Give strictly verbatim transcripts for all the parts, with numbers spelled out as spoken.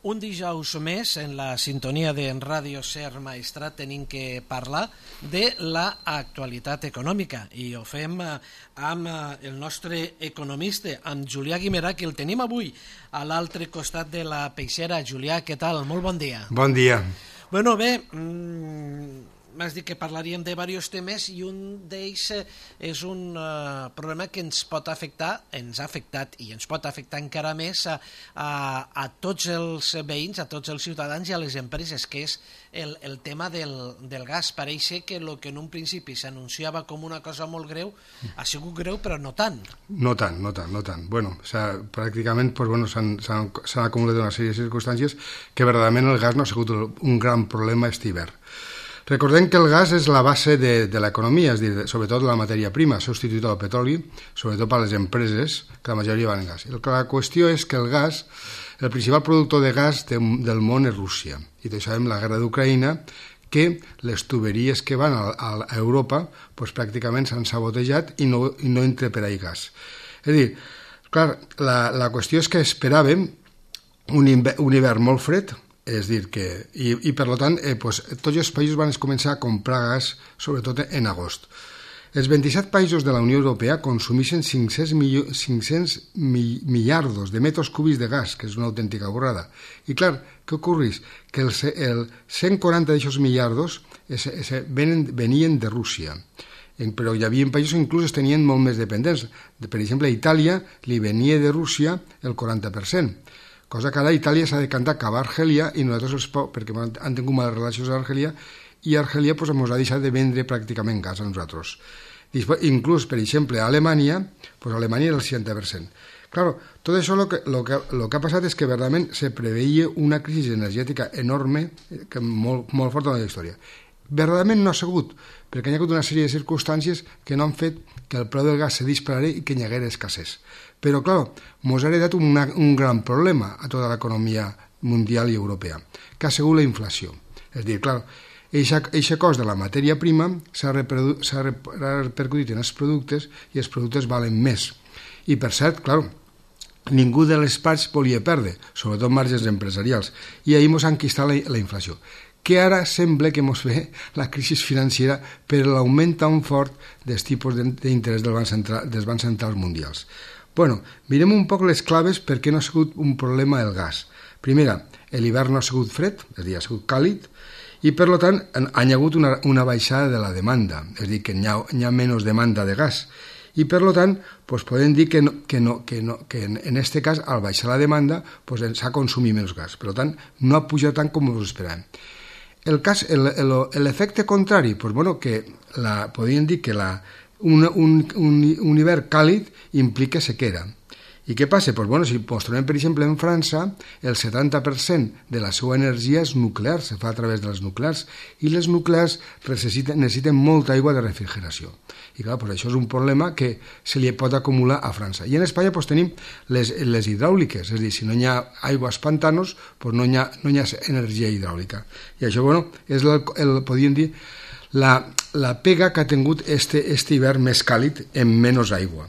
Un dijous més, en la sintonia de Ràdio Ser Maestrat, tenim que parlar de l'actualitat econòmica i ho fem amb el nostre economista, amb Julià Guimerà, que el tenim avui a l'altre costat de la peixera. Julià, què tal? Molt bon dia. Bon dia. Bueno, bé, mmm, m'has dit que parlaríem de diversos temes i un d'ells és un uh, problema que ens pot afectar, ens ha afectat i ens pot afectar encara més a, a, a tots els veïns, a tots els ciutadans i a les empreses, que és el, el tema del, del gas. Pareix que el que en un principi s'anunciava com una cosa molt greu ha sigut greu, però no tant. No tant, no tant, no tant. Bueno, o sea, pràcticament pues, bueno, s'han acumulat una sèrie de circumstàncies que verdaderament el gas no ha sigut un gran problema aquest hivern. Recordem que el gas és la base de, de l'economia, és a dir, sobretot la matèria prima, s'ha substituït al petroli, sobretot per les empreses, que la majoria van en gas. La qüestió és que el gas, el principal productor de gas de, del món és Rússia. I tots sabem la guerra d'Ucraïna, que les tuberies que van a, a Europa pues, pràcticament s'han sabotejat i no, i no entra per ahí gas. És a dir, clar, la, la qüestió és que esperàvem un, inver, un hivern molt fred, és dir, que, i, i per tant, eh, pues, tots els països van començar a comprar gas, sobretot en agost. Els vint-i-set països de la Unió Europea consumeixen cinc-cents miliardos de metres cúbics de gas, que és una autèntica borrada. I clar, què ocorreix? Que el, el cent quaranta d'aquests miliardos es, es, venen, venien de Rússia. Però hi havia països que inclús tenien molt més dependents. Per exemple, a Itàlia li venia de Rússia el quaranta per cent. Cosa que ara Itàlia s'ha decantat cap a Argèlia i nosaltres els poc, perquè han tingut males relacions a Argèlia i Argèlia pues, ens ha deixat de vendre pràcticament gas a nosaltres. Després, inclús, per exemple, a Alemanya, pues, Alemanya era el seixanta per cent. Claro, tot això lo que, lo que, lo que ha passat és que verdaderament se preveia una crisi energètica enorme, que molt, molt forta en la història. Verdaderament no ha sigut, perquè hi ha hagut una sèrie de circumstàncies que no han fet que el preu del gas se disparara i que hi haguera escassez. Però, clar, ens ha heredat una, un gran problema a tota l'economia mundial i europea, que ha sigut la inflació. És a dir, clar, aquest cost de la matèria prima s'ha repercutit en els productes i els productes valen més. I, per cert, clar, ningú de les parts volia perdre, sobretot marges empresarials, i ahir ens ha enquistat la, la inflació, que ara sembla que ens ve la crisi financera per l'augment tan fort dels tipus d'interès del banc central, dels bancs centrals mundials. Bueno, mirem un poc les claves per què no ha sigut un problema el gas. Primera, l'hivern no ha sigut fred, és a dir, ha sigut càlid, i per tant ha hagut una, una baixada de la demanda, és a dir, que hi ha, hi ha menys demanda de gas. I per tant, pues, podem dir que, no, que, no, que, no, que en aquest cas, al baixar la demanda, pues, s'ha consumit menys gas. Per tant, no ha pujat tant com us esperàvem. El cas, l'efecte contrari, pues, bueno, que la, podríem dir que la Un, un, un, un hivern càlid implica sequera. I què passa? Pues bueno, si ens trobem, per exemple, en França, el setanta per cent de la seva energia és nuclear, se fa a través de les nuclears, i les nuclears necessiten, necessiten molta aigua de refrigeració. I clar, pues això és un problema que se li pot acumular a França. I en Espanya pues, tenim les, les hidràuliques, és a dir, si no hi ha aigües pantanos, pues no, hi ha, no hi ha energia hidràulica. I això, bueno, és el, el podríem dir, La, la pega que ha tingut este, este hivern més càlid en menys aigua.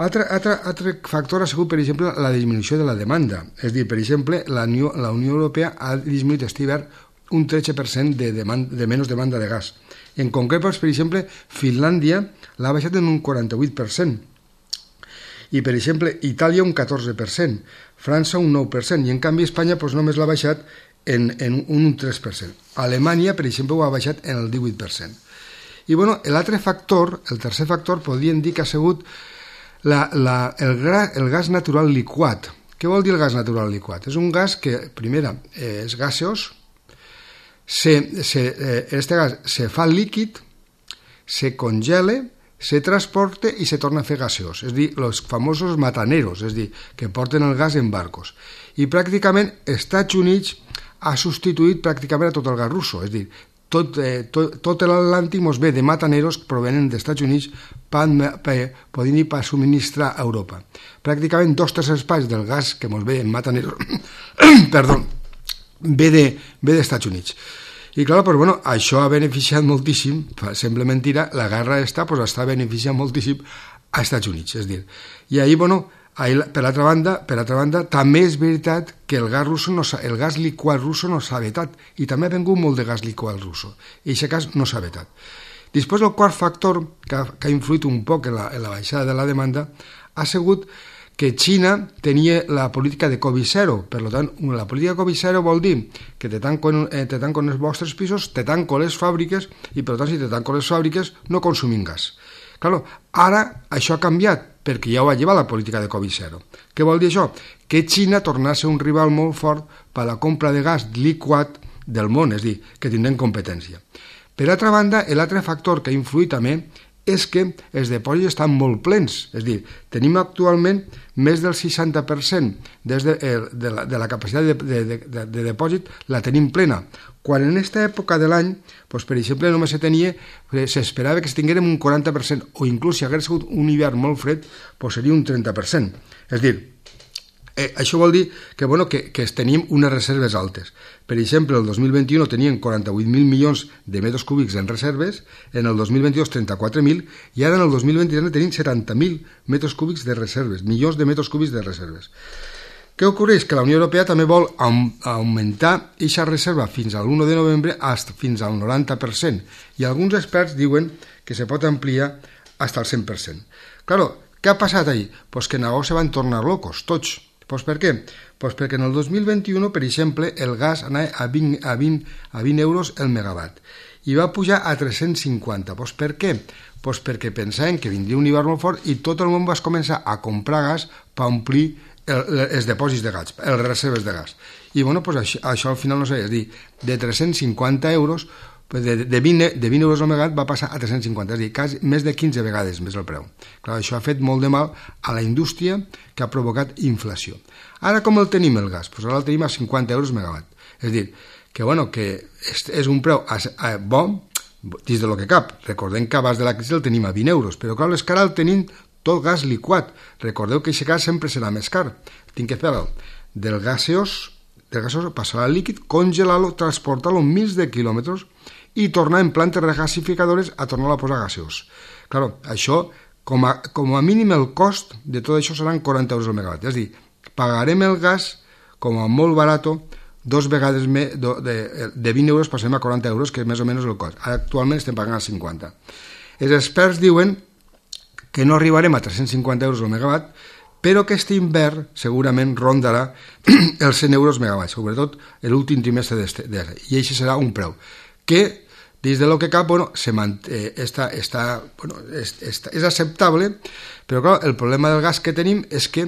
Altre, altre, altre factor ha sigut, per exemple, la disminució de la demanda. És a dir, per exemple, la Unió, la Unió Europea ha disminuït este hivern un tretze per cent de, demanda, de menys demanda de gas. En concret, per exemple, Finlàndia l'ha baixat en un quaranta-vuit per cent. I, per exemple, Itàlia un catorze per cent, França un nou per cent, i en canvi Espanya pues, només l'ha baixat en, en un tres per cent. Alemanya, per exemple, ho ha baixat en el divuit per cent. I bueno, l'altre factor, el tercer factor, podríem dir que ha sigut la, la, el, gra, el gas natural liquat. Què vol dir el gas natural liquat? És un gas que, primera, eh, és gaseós, se, se, eh, este gas se fa líquid, se congela, se transporta i se torna a fer gaseós, és a dir, els famosos mataneros, és a dir, que porten el gas en barcos. I pràcticament Estats Units ha substituït pràcticament a tot el gas russo, és a dir, tot, eh, tot, tot l'Atlàntic ens ve de mataneros que provenen dels Estats Units per, per, podem dir, per subministrar a Europa. Pràcticament dos tercers parts del gas que ens ve en mataneros perdó, ve de, ve dels Estats Units. I clar, pues, bueno, això ha beneficiat moltíssim, sembla mentira, la guerra està, pues, està beneficiant moltíssim als Estats Units, és dir, i ahir, bueno, Per l'altra banda, per l'altra banda, també és veritat que el gas, russo no el gas liquat russo no s'ha vetat, i també ha vengut molt de gas liquat russo, i aquest cas no s'ha vetat. Després, el quart factor que ha, que ha influït un poc en la, en la baixada de la demanda ha sigut que Xina tenia la política de Covid zero. Per tant, la política de Covid zero vol dir que te tanco, eh, te tanco en els vostres pisos, te tanco les fàbriques, i per tant, si te tanco les fàbriques, no consumim gas. Claro, ara això ha canviat, perquè ja ho va llevar la política de Covid zero. Què vol dir això? Que Xina torna a ser un rival molt fort per a la compra de gas liquat del món, és a dir, que tindrem competència. Per altra banda, l'altre factor que ha influït també és que els dipòsits estan molt plens, és a dir, tenim actualment més del seixanta per cent des de, de, la, de la capacitat de, de, de, de depòsit la tenim plena, quan en aquesta època de l'any, doncs, per exemple, només se tenia, s'esperava que es tinguérem un quaranta per cent, o inclús si hagués sigut un hivern molt fred, doncs seria un trenta per cent. És a dir, Eh, això vol dir que, bueno, que, que tenim unes reserves altes. Per exemple, el dos mil vint-i-u tenien quaranta-vuit mil milions de metres cúbics en reserves, en el dos mil vint-i-dos trenta-quatre mil, i ara en el dos mil vint-i-tres tenim setanta mil metres cúbics de reserves, milions de metres cúbics de reserves. Què ocorreix? Que la Unió Europea també vol augmentar aquesta reserva fins a l'u de novembre fins al noranta per cent, i alguns experts diuen que se pot ampliar fins al cent per cent. Claro, què ha passat ahir? Pues que negocis se van tornar locos, tots. Pues per què? Pues perquè en el dos mil vint-i-u, per exemple, el gas anava a vint, a vint, a vint euros el megawatt i va pujar a tres-cents cinquanta. Pues per què? Pues perquè pensaven que vindria un hivern molt fort i tot el món va començar a comprar gas per omplir el, els depòsits de gas, les reserves de gas. I bueno, pues això, això al final no sé, és dir, de tres-cents cinquanta euros, de, de, vint, de vint euros al megawatt va passar a tres-cents cinquanta, és a dir, quasi més de quinze vegades més el preu. Clar, això ha fet molt de mal a la indústria, que ha provocat inflació. Ara com el tenim el gas? Pues ara el tenim a cinquanta euros megawatt. És a dir, que, bueno, que és, és un preu a, a, bo dins de lo que cap. Recordem que abans de la crisi el tenim a vint euros, però clar, és que ara el tenim tot gas liquat. Recordeu que aquest gas sempre serà més car. Tinc que fer-lo del gaseós, del gaseós passar al líquid, congelar-lo, transportar-lo mils de quilòmetres i tornar en plantes regasificadores a tornar a posar gaseós. Claro, això, com a, com a mínim el cost de tot això seran quaranta euros al megawatt. És a dir, pagarem el gas com a molt barat, dos vegades més, de, de vint euros passem a quaranta euros, que és més o menys el cost. Actualment estem pagant a cinquanta. Els experts diuen que no arribarem a tres-cents cinquanta euros al megawatt, però que aquest hivern segurament rondarà els cent euros megawatt, sobretot l'últim trimestre d'este, i això serà un preu que des de lo que cap, bueno, se manté, està, està, bueno, és, és, és acceptable, però clar, el problema del gas que tenim és que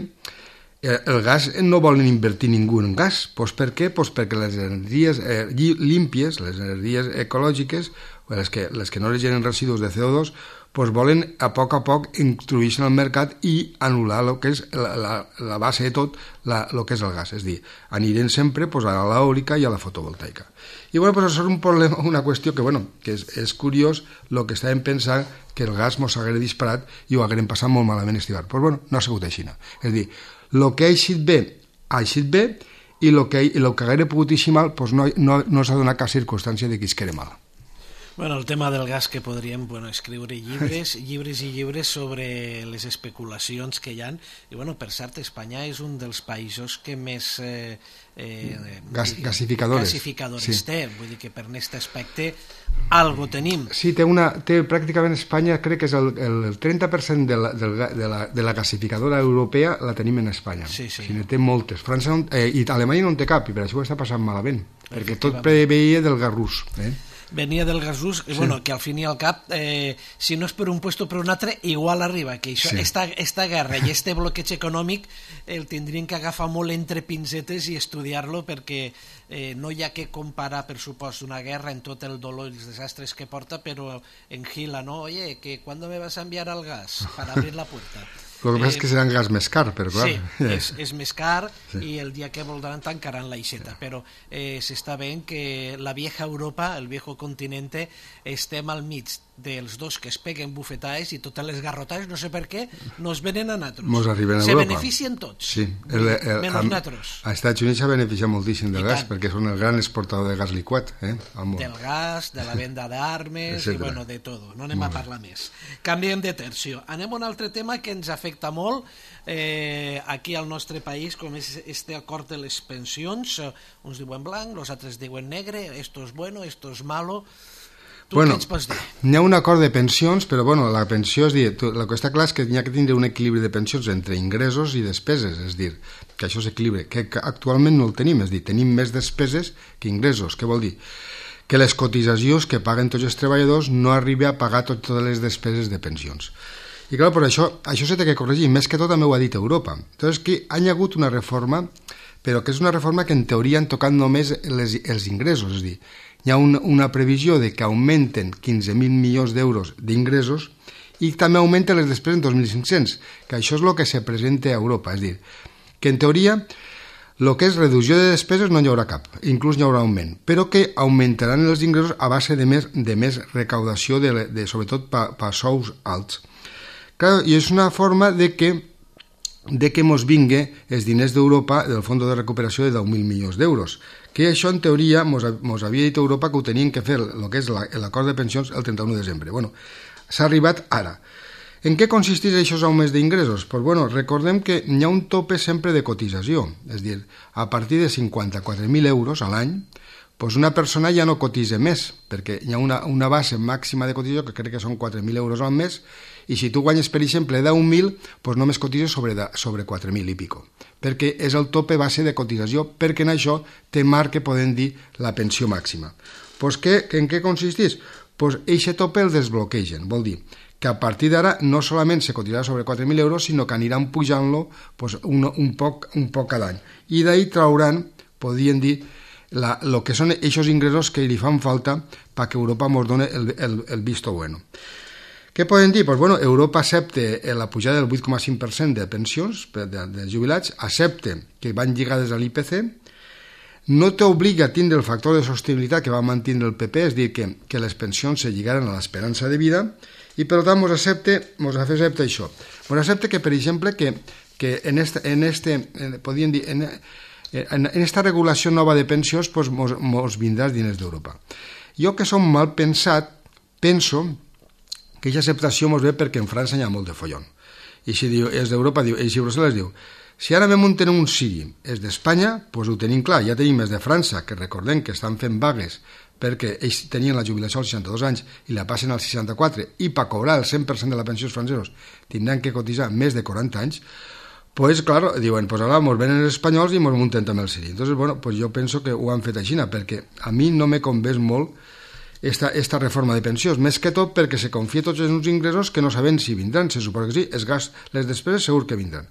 el gas no volen invertir ningú en gas. Pues per què? Pues perquè les energies eh, límpies, les energies ecològiques, les que, les que no les generen residus de C O dos, pues volen a poc a poc introduir-se en el mercat i anul·lar el que és la, la, la base de tot, la, el que és el gas. És a dir, anirem sempre pues, a l'eòlica i a la fotovoltaica. I bueno, pues això és un problema, una qüestió que, bueno, que és, és curiós el que estàvem pensant que el gas mos hagués disparat i ho haguérem passat molt malament estivar. Pues bueno, no ha sigut així. És a dir, el que ha eixit bé, ha eixit bé, i el que, el que hagués pogut eixir mal, pues no, no, no s'ha donat cap circumstància de que es quede mal. Bueno, el tema del gas que podríem bueno, escriure llibres, llibres i llibres sobre les especulacions que hi ha. I bueno, per cert, Espanya és un dels països que més eh, eh, Gas, gasificadores, gasificadores sí. té. Vull dir que per aquest aspecte algo tenim. Sí, té una, té pràcticament Espanya, crec que és el, el trenta per cent de la, de, la, de, la, de la gasificadora europea la tenim en Espanya. Sí, sí. O sigui, té moltes. França no, eh, i Alemanya no en té cap, i per això ho està passant malament, perquè tot preveia del gas rus. Eh? Venia del gas rus, sí. Bueno, que al fin i al cap, eh, si no és per un puesto per un altre, igual arriba, que això, sí. esta, esta guerra i este bloqueig econòmic el tindrien que agafar molt entre pincetes i estudiar-lo, perquè eh, no hi ha que comparar, per supost, una guerra en tot el dolor i els desastres que porta, però en Gila, ¿no? Oye, que ¿cuándo me vas a enviar al gas para abrir la puerta? El que passa és que serà un gas més car, però clar. Sí, és, és més car sí. I el dia que voldran tancaran l'aixeta, sí. Però eh, s'està veient que la vieja Europa, el viejo continente, estem al mig dels dos que es peguen bufetades i totes les garrotades, no sé per què, no es venen a nosaltres. Mos arriben a Se Europa. beneficien tots, sí. el, el, menys nosaltres. Als Estats Units s'ha beneficiat moltíssim del I gas, tant. perquè són el gran exportador de gas liquat, eh, al món. Del gas, de la venda d'armes i bueno, de tot. No anem a parlar més. Canviem de tercio. Anem a un altre tema que ens afecta molt eh, aquí al nostre país, com és este acord de les pensions. Uns diuen blanc, els altres diuen negre, esto es bueno, esto es malo. Tu bueno, què ens pots dir? Hi ha un acord de pensions, però bueno, la pensió, és dir, tu, el que està clar és que hi ha que tindre un equilibri de pensions entre ingressos i despeses, és dir, que això s'equilibri, que, que actualment no el tenim, és dir, tenim més despeses que ingressos. Què vol dir? Que les cotitzacions que paguen tots els treballadors no arriben a pagar tot, totes les despeses de pensions. I clar, per això, això s'ha de corregir, més que tot també ho ha dit Europa. Entonces, que ha hagut una reforma, però que és una reforma que en teoria han tocat només les, els ingressos, és dir, hi ha una, una previsió de que augmenten quinze mil milions d'euros d'ingressos i també augmenten les despeses en dos mil cinc-cents, que això és el que se presenta a Europa, és dir, que en teoria el que és reducció de despeses no hi haurà cap, inclús hi haurà augment, però que augmentaran els ingressos a base de més, de més recaudació, de, de, sobretot per pa, pa sous alts. Clar, i és una forma de que de que mos vingui els diners d'Europa del Fons de Recuperació de deu mil milions d'euros, que això en teoria mos, mos havia dit Europa que ho tenien que fer el que és l'acord de pensions el trenta-u de desembre. Bueno, s'ha arribat ara. En què consisteix aquests augments d'ingressos? Pues bueno, recordem que hi ha un tope sempre de cotització, és a dir, a partir de cinquanta-quatre mil euros a l'any, pues una persona ja no cotitza més, perquè hi ha una, una base màxima de cotització que crec que són quatre mil euros al mes, i si tu guanyes, per exemple, deu mil, pues només cotitzes sobre, sobre quatre mil i pico, perquè és el tope base de cotització, perquè en això té marc que podem dir la pensió màxima. Pues que, en què consisteix? Pues aquest tope el desbloquegen, vol dir que a partir d'ara no solament se cotitzarà sobre quatre mil euros, sinó que aniran pujant-lo pues, un, un, poc, un poc cada any. I d'ahir trauran, podrien dir, la, lo que són aquests ingressos que li fan falta perquè Europa ens doni el, el, el visto bueno. Què poden dir? Pues bueno, Europa accepta la pujada del vuit coma cinc per cent de pensions de, de jubilats, accepta que van lligades a l'I P C, no t'obliga a tindre el factor de sostenibilitat que va mantenir el P P, és dir, que, que les pensions se lligaren a l'esperança de vida, i per tant mos accepta, mos accepta això. Mos accepta que, per exemple, que, que en este, en este en, podien dir, en, en, en esta regulació nova de pensions pues, mos, mos vindrà els diners d'Europa. Jo, que som mal pensat, penso que aquesta acceptació ens ve perquè en França hi ha molt de follon. I si diu, és d'Europa, diu, i si Brussel·les diu, si ara vam un tenim un sigui, és d'Espanya, doncs ho tenim clar, ja tenim els de França, que recordem que estan fent vagues perquè ells tenien la jubilació als seixanta-dos anys i la passen als seixanta-quatre, i per cobrar el cent per cent de la pensió els francesos tindran que cotitzar més de quaranta anys, pues claro, diuen, pues ara ens venen els espanyols i ens munten també el sigui. Entonces, bueno, pues jo penso que ho han fet així, perquè a mi no me convé molt Esta, esta reforma de pensions, més que tot perquè se confia tots els uns ingressos que no sabem si vindran, se suposa que sí, els gasts, les despeses segur que vindran.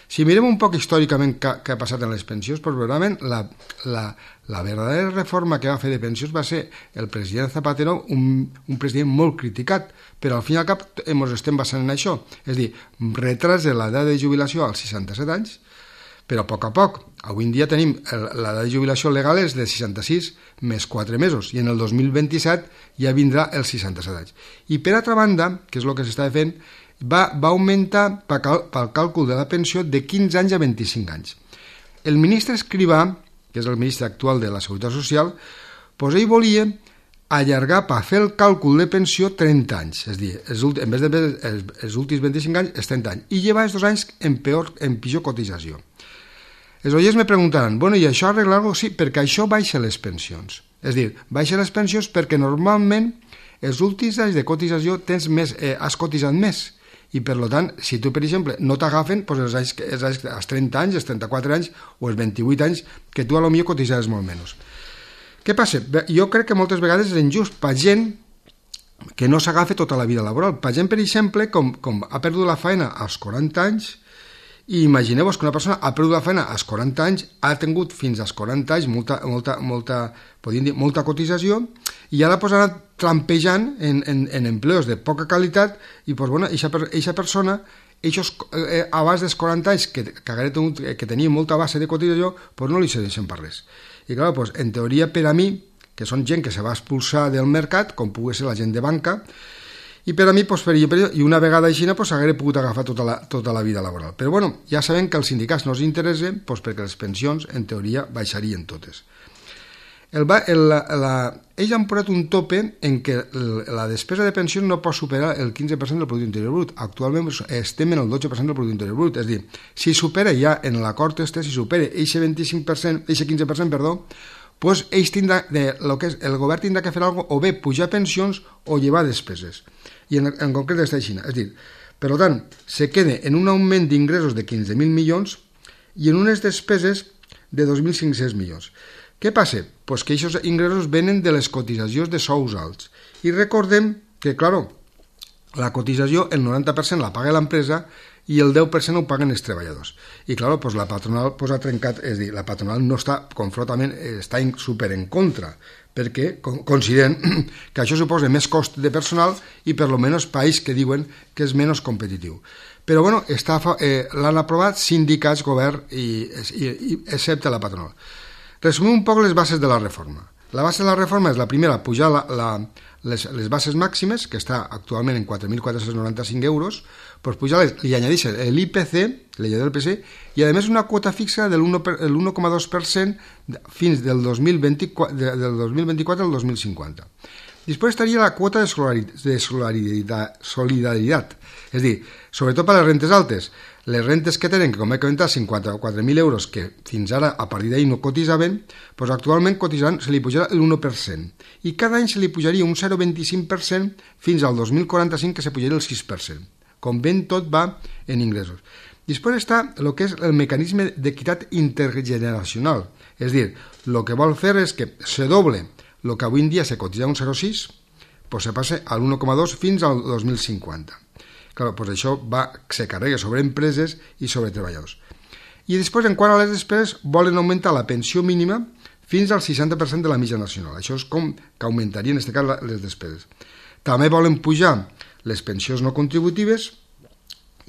Si mirem un poc històricament què, què ha passat en les pensions, doncs realment la, la, la verdadera reforma que va fer de pensions va ser el president Zapatero, un, un president molt criticat, però al fin i al cap ens estem basant en això, és a dir, retras de l'edat de jubilació als seixanta-set anys, però a poc a poc. Avui en dia tenim l'edat de jubilació legal és de seixanta-sis més quatre mesos i en el dos mil vint-i-set ja vindrà els seixanta-set anys. I per altra banda, que és el que s'està fent, va, va augmentar pel càlcul de la pensió de quinze anys a vint-i-cinc anys. El ministre Escrivà, que és el ministre actual de la Seguretat Social, doncs ell volia allargar per fer el càlcul de pensió trenta anys, és a dir, els, en vez de els, els últims vint-i-cinc anys, els trenta anys, i llevar els dos anys en, peor, en pitjor cotització. Els oients me preguntaran, bueno, i això arreglar-ho? Sí, perquè això baixa les pensions. És a dir, baixa les pensions perquè normalment els últims anys de cotització tens més, eh, has cotitzat més. I per tant, si tu, per exemple, no t'agafen, doncs els anys, els anys, els trenta anys, els trenta-quatre anys o els vint-i-vuit anys, que tu a lo millor cotitzaràs molt menys. Què passa? Jo crec que moltes vegades és injust per gent que no s'agafa tota la vida laboral. Per gent, per exemple, com, com ha perdut la feina als quaranta anys, i imagineu-vos que una persona ha perdut la feina als quaranta anys, ha tingut fins als quaranta anys molta, molta, molta, podríem dir, molta cotització, i ara pues, ha anat trampejant en, en, en empleos de poca qualitat, i pues, bueno, eixa persona, eixos, eh, abans dels quaranta anys, que, que, tingut, que tenia molta base de cotització, pues, no li serveixen per res. I clar, pues, en teoria, per a mi, que són gent que se va expulsar del mercat, com pugui ser la gent de banca, I per a mi, pues, per, per, i una vegada així, pues, hagué pogut agafar tota la, tota la vida laboral. Però bueno, ja sabem que als sindicats no els interessa, pues, perquè les pensions, en teoria, baixarien totes. El, el, la, la, ells han posat un tope en què la despesa de pensions no pot superar el quinze per cent del Producte Interior Brut. Actualment estem en el dotze per cent del Producte Interior Brut. És a dir, si supera ja en l'acord este, si supera eixe vint-i-cinc per cent, eixe quinze per cent, perdó, pues ells tindrà, de, lo que és, el govern tindrà que fer alguna cosa, o bé pujar pensions o llevar despeses. I en, en concret està així. És a dir, per tant, se queda en un augment d'ingressos de quinze mil milions i en unes despeses de dos mil cinc-cents milions. Què passa? Pues que aquests ingressos venen de les cotitzacions de sous alts. I recordem que, claro, la cotització, el noranta per cent la paga l'empresa i el deu per cent ho paguen els treballadors. I, claro, pues la patronal pues, ha trencat, és a dir, la patronal no està, confrontament, està in, super en contra, perquè consideren que això suposa més cost de personal i per lo menys país que diuen que és menys competitiu. Però, bueno, està, eh, l'han aprovat sindicats, govern, i, i, i excepte la patronal. Resumim un poc les bases de la reforma. La base de la reforma és la primera, pujar la, la, les, les bases màximes, que està actualment en quatre mil quatre-cents noranta-cinc euros, pues pujar-les, li añadeix l'I P C, la llei del P C, i a més una quota fixa de l'un coma dos per cent fins del dos mil vint-i-quatre, del dos mil vint-i-quatre al dos mil cinquanta. Després estaria la quota de solidaritat, solidaritat, és a dir, sobretot per a les rentes altes. Les rentes que tenen, que com he comentat, cinquanta-quatre mil euros, que fins ara a partir d'ahir no cotitzaven, doncs actualment cotitzaran, se li pujarà l'u per cent. I cada any se li pujaria un zero coma vint-i-cinc per cent fins al dos mil quaranta-cinc, que se pujaria el sis per cent. Com ben tot va en ingressos. Després està el que és el mecanisme d'equitat intergeneracional. És a dir, el que vol fer és que se doble el que avui en dia se cotitza un zero coma sis, doncs se passa a l'u coma dos fins al dos mil cinquanta. Clar, doncs això va, se carrega sobre empreses i sobre treballadors. I després, en quant a les despeses, volen augmentar la pensió mínima fins al seixanta per cent de la mitjana nacional. Això és com que augmentaria, en aquest cas, les despeses. També volen pujar les pensions no contributives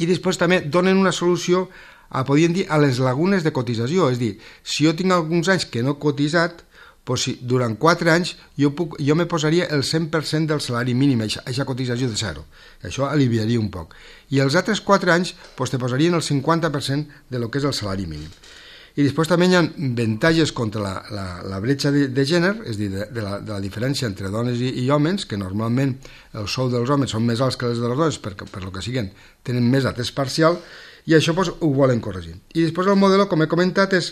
i després també donen una solució a, podríem dir, a les lagunes de cotització. És a dir, si jo tinc alguns anys que no he cotitzat, pues si durant quatre anys jo, puc, jo me posaria el cent per cent del salari mínim, aquesta cotització de zero. Això aliviaria un poc. I els altres quatre anys pues, te posarien el cinquanta per cent de lo que és el salari mínim. I després també hi ha avantatges contra la, la, la bretxa de, de gènere, és a dir, de, de, la, de la diferència entre dones i, i homes, que normalment el sou dels homes són més alts que els de les dones, perquè per lo que siguen tenen més atès parcial, i això pues, ho volen corregir. I després el model, com he comentat, és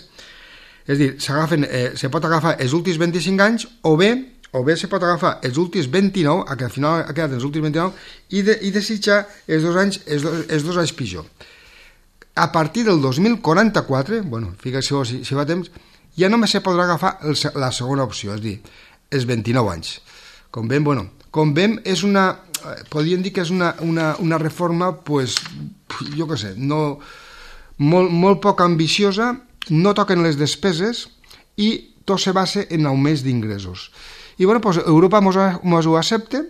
És a dir, eh, se pot agafar els últims vint-i-cinc anys o bé o bé se pot agafar els últims vint-i-nou, que al final ha quedat els últims vint-i-nou, i, de, i desitjar els dos anys, els dos, els dos anys pitjor. A partir del dos mil quaranta-quatre, bueno, fixeu si, si va temps, ja només se podrà agafar el, la segona opció, és a dir, els vint-i-nou anys. Com veiem, bueno, com veiem, és una, podríem dir que és una, una, una reforma, pues, jo què sé, no, molt, molt poc ambiciosa, no toquen les despeses i tot se basa en augments d'ingressos. I bueno, pues Europa mos ho accepta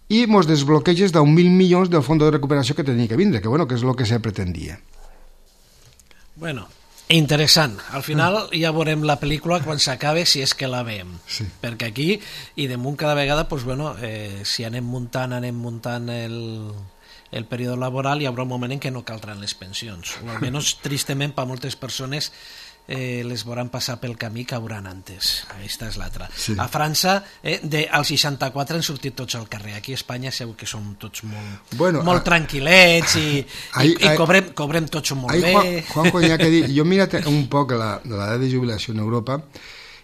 i mos desbloqueja deu mil milions del fons de recuperació que tenia que vindre, que bueno, que és el que se pretendia. Bueno, interessant. Al final ja veurem la pel·lícula quan s'acabe, si és que la veiem. Sí. Perquè aquí, i damunt cada vegada, pues bueno, eh, si anem muntant, anem muntant el... el període laboral, hi haurà un moment en què no caldran les pensions, o almenys tristament per moltes persones eh, les veuran passar pel camí que hauran antes. Aquesta és l'altra. Sí. A França, eh, de, al seixanta-quatre han sortit tots al carrer. Aquí a Espanya segur que som tots molt, bueno, molt a... tranquil·lets i, ahí, i, i cobrem, cobrem tots molt ahí, bé. Juan, Juanjo, hi ha que dir, jo he mirat un poc la, l'edat de jubilació en Europa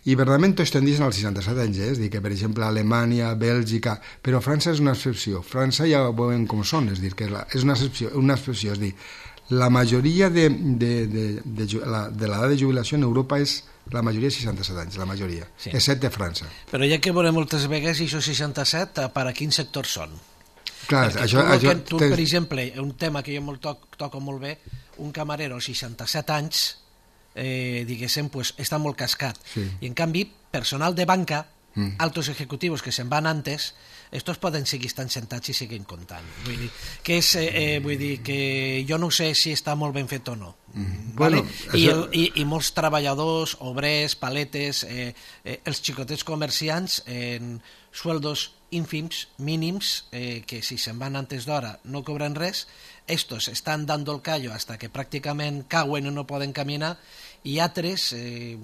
i verdaderament tots tendeixen als seixanta-set anys, eh? És dir, que per exemple Alemanya, Bèlgica, però França és una excepció. França ja veuen com són, és dir, que és, la, és una, excepció, una excepció, és dir, la majoria de, de, de, de, de, la, de l'edat de jubilació en Europa és la majoria de seixanta-set anys, la majoria, sí. Excepte França. Però ja que veurem moltes vegades, i això seixanta-set, per a quins sectors són? Clar, perquè això, tu, això, tu, per exemple, un tema que jo molt toc, toco molt bé, un camarero als seixanta-set anys, eh, diguéssim, pues, està molt cascat. Sí. I en canvi, personal de banca, mm. altos ejecutivos que se'n van antes, estos poden seguir estant sentats i seguint comptant. Vull dir que, és, eh, vull dir que jo no sé si està molt ben fet o no. Mm. Vale? Bueno, I, això... el, i, I molts treballadors, obrers, paletes, eh, eh, els xicotets comerciants en sueldos ínfims, mínims, eh, que si se'n van antes d'hora no cobren res, estos estan dando el callo hasta que pràcticament cauen i no poden caminar, i altres, eh,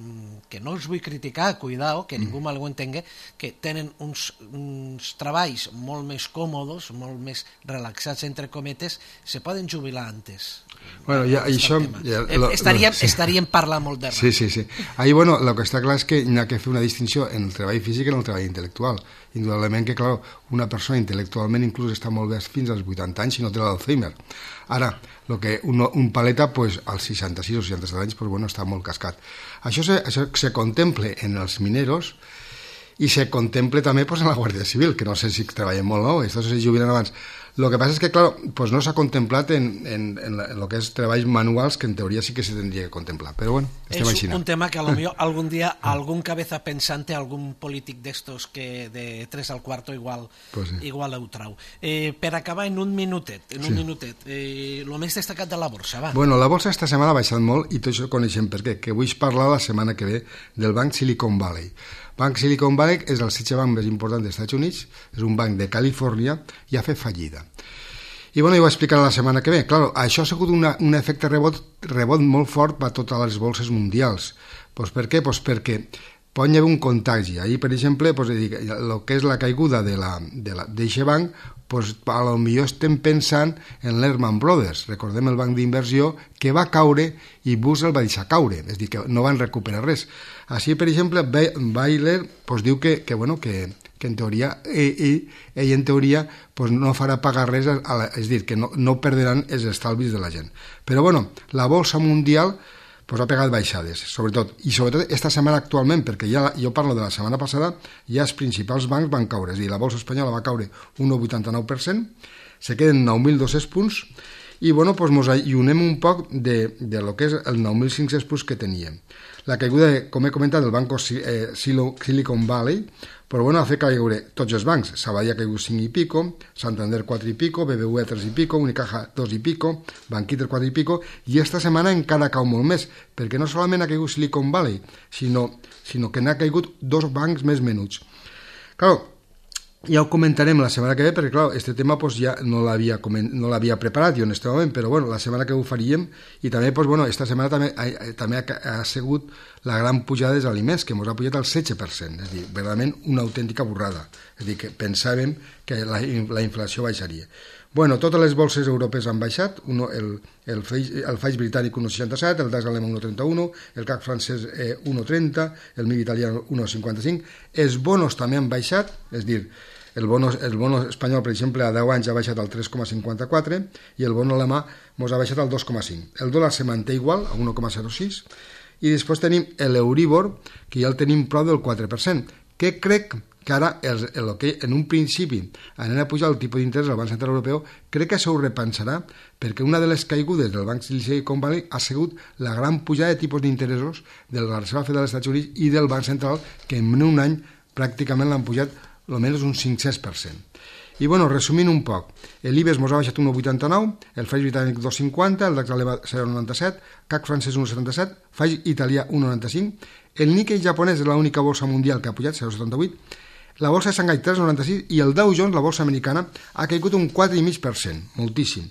que no els vull criticar, cuidao, que ningú mal ho entengui, que tenen uns, uns treballs molt més còmodes, molt més relaxats, entre cometes, se poden jubilar antes. Bueno, ja, això... Ja, lo, estaríem, lo, sí. estaríem parlant molt de res. Sí, sí, sí. Ahí, bueno, lo que està clar és que hi ha que fer una distinció en el treball físic i en el treball intel·lectual. Indudablement que, clar, una persona intel·lectualment inclús està molt bé fins als vuitanta anys si no té l'Alzheimer. Ara, lo que un, un paleta, pues, als seixanta-sis o seixanta-set anys, pues, bueno, està molt cascat. Això se, això se contemple en els mineros i se contemple també, pues, en la Guàrdia Civil, que no sé si treballen molt, no? Estos se jubilen abans. Lo que pasa es que, claro, pues no s'ha contemplat en, en, en, la, en lo que és treballs manuals, que en teoria sí que se tendria que contemplar. Però bueno, estem així. És un tema que a lo millor algun dia algun cabeza pensante, algun polític d'estos que de tres al cuarto igual, pues sí. igual ho trau. Eh, per acabar en un minutet, en un sí. minutet, eh, lo més destacat de la borsa, va. Bueno, la borsa esta setmana ha baixat molt i tot això coneixem per què, que vull parlar la setmana que ve del banc Silicon Valley. Banc Silicon Valley és el setze banc més important dels Estats Units, és un banc de Califòrnia i ha fet fallida. I bueno, jo ho explicaré la setmana que ve. Claro, això ha sigut una, un efecte rebot, rebot molt fort per a totes les bolses mundials. Pues per què? Pues perquè pot haver un contagi. Ahir, per exemple, pues, el que és la caiguda d'aquest banc, pues, a lo millor estem pensant en Lehman Brothers. Recordem el banc d'inversió que va caure i Bush el va deixar caure, és a dir, que no van recuperar res. Així, per exemple, Baylor pues, diu que, que, bueno, que, que en teoria ell, ell, ell en teoria pues, no farà pagar res, a la, és a dir, que no, no perderan els estalvis de la gent. Però bueno, la bolsa mundial pues, ha pegat baixades, sobretot, i sobretot esta setmana actualment, perquè ja, jo parlo de la setmana passada, ja els principals bancs van caure, és a dir, la bolsa espanyola va caure un nou coma vuitanta-nou per cent, se queden nou mil dos-cents punts, i bueno, pues, mos allunem un poc de, de lo que és el nou mil cinc-cents punts que teníem. La caiguda, com he comentat, del banco eh, Silicon Valley, però bueno, ha fet caure tots els bancs. Sabadell ha caigut cinc i pico, Santander quatre i pico, B B V A tres i pico, Unicaja dos i pico, Banquiter quatre i pico, i esta setmana encara cau molt més, perquè no solament ha caigut Silicon Valley, sinó, sinó que n'ha caigut dos bancs més menuts. Claro, ja ho comentarem la setmana que ve, perquè clar, este tema pues, ja no l'havia no l'havia preparat jo en este moment, però bueno, la setmana que ho faríem, i també, pues, bueno, esta setmana també, ha, també ha, ha sigut la gran pujada dels aliments, que ens ha pujat al setze per cent, és a dir, verdaderament una autèntica burrada, és a dir, que pensàvem que la, la inflació baixaria. Bueno, totes les bolses europees han baixat, uno, el, el, el F A I britànic un coma seixanta-set, el DAX alemany un coma trenta-u, el C A C francès eh, un coma trenta, el M I B italià un coma cinquanta-cinc, els bonos també han baixat, és a dir, el bono, el bono espanyol, per exemple, a deu anys ha baixat al tres coma cinquanta-quatre i el bono alemà ens ha baixat al dos coma cinc. El dòlar se manté igual, a un coma zero sis, i després tenim l'Euribor, que ja el tenim prop del quatre per cent, que crec que ara, el, el que en un principi anant a pujar el tipus d'interès al Banc Central Europeu, crec que això ho repensarà, perquè una de les caigudes del Banc Silicon Valley ha sigut la gran pujada de tipus d'interessos de la Reserva Federal dels Estats Units i del Banc Central, que en un any pràcticament l'han pujat almenys un cinc-cents per cent. I bueno, resumint un poc, l'Ibex mos ha baixat un coma vuitanta-nou, el F A I britànic dos coma cinquanta, el DAX alemà zero coma noranta-set, C A C francès un coma setanta-set, F A I italià un coma noranta-cinc, el Nikkei japonès és l'única bolsa mundial que ha pujat, zero coma setanta-vuit, la bolsa de Xangai tres coma noranta-sis i el Dow Jones, la bolsa americana, ha caigut un quatre coma cinc per cent, moltíssim.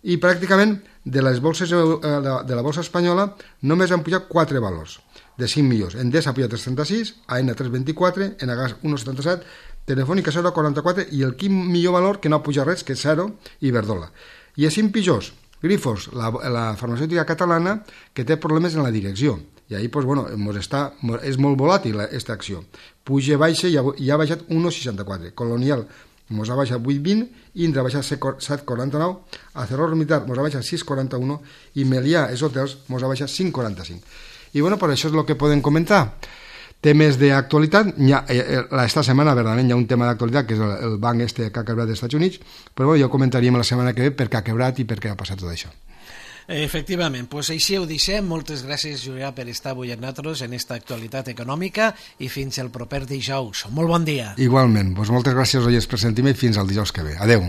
I pràcticament de les bolses de la bolsa espanyola només han pujat quatre valors de cinc millors. Endesa ha pujat tres coma trenta-sis, A N tres coma vint-i-quatre, Enagás un coma setanta-set, Telefònica zero coma quaranta-quatre i el quin millor valor que no ha pujat res, que és zero, Iberdrola. I els cinc pitjors, Grifols, la, la farmacèutica catalana, que té problemes en la direcció. I ahí, pues, bueno, mos està, és molt volàtil aquesta acció. Puja, baixa i ha, i ha baixat un coma seixanta-quatre. Colonial mos ha baixat vuit coma vint, Indra ha baixat set coma quaranta-nou, Acerror Militar mos ha baixat sis coma quaranta-u i Melià Hotels mos ha baixat cinc coma quaranta-cinc. I bueno, per això és el que podem comentar. Temes d'actualitat, esta setmana verdaderament hi ha un tema d'actualitat, que és el, el banc este que ha quebrat dels Estats Units, però bueno, ja ho comentaríem la setmana que ve per què ha quebrat i per què ha passat tot això. Efectivament, doncs així ho deixem. Moltes gràcies, Julià, per estar avui amb nosaltres en esta actualitat econòmica i fins el proper dijous. Molt bon dia. Igualment, doncs moltes gràcies, oients, per sentir-me i fins al dijous que ve. Adeu.